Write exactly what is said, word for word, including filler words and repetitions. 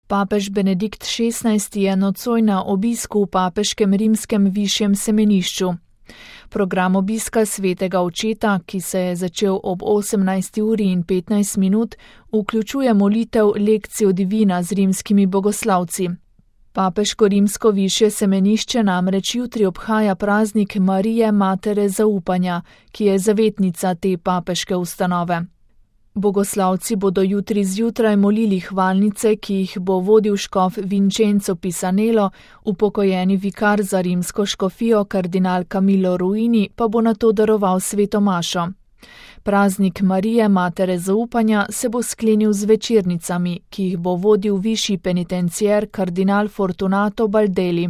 Papež Benedikt šestnajsti je nocoj na obisku v papeškem rimskem višjem semenišču. Program obiska svetega očeta, ki se je začel ob osemnajsti uri in petnajst minut, vključuje molitev lekcijo divina z rimskimi bogoslavci. Papeško rimsko višje semenišče namreč jutri obhaja praznik Marije Matere zaupanja, ki je zavetnica te papeške ustanove. Bogoslavci bodo jutri zjutraj molili hvalnice, ki jih bo vodil škof Vincenzo Pisanello, upokojeni vikar za rimsko škofijo kardinal Camillo Ruini pa bo nato daroval sveto mašo. Praznik Marije Matere zaupanja se bo sklenil z večernicami, ki jih bo vodil višji penitencier kardinal Fortunato Baldelli.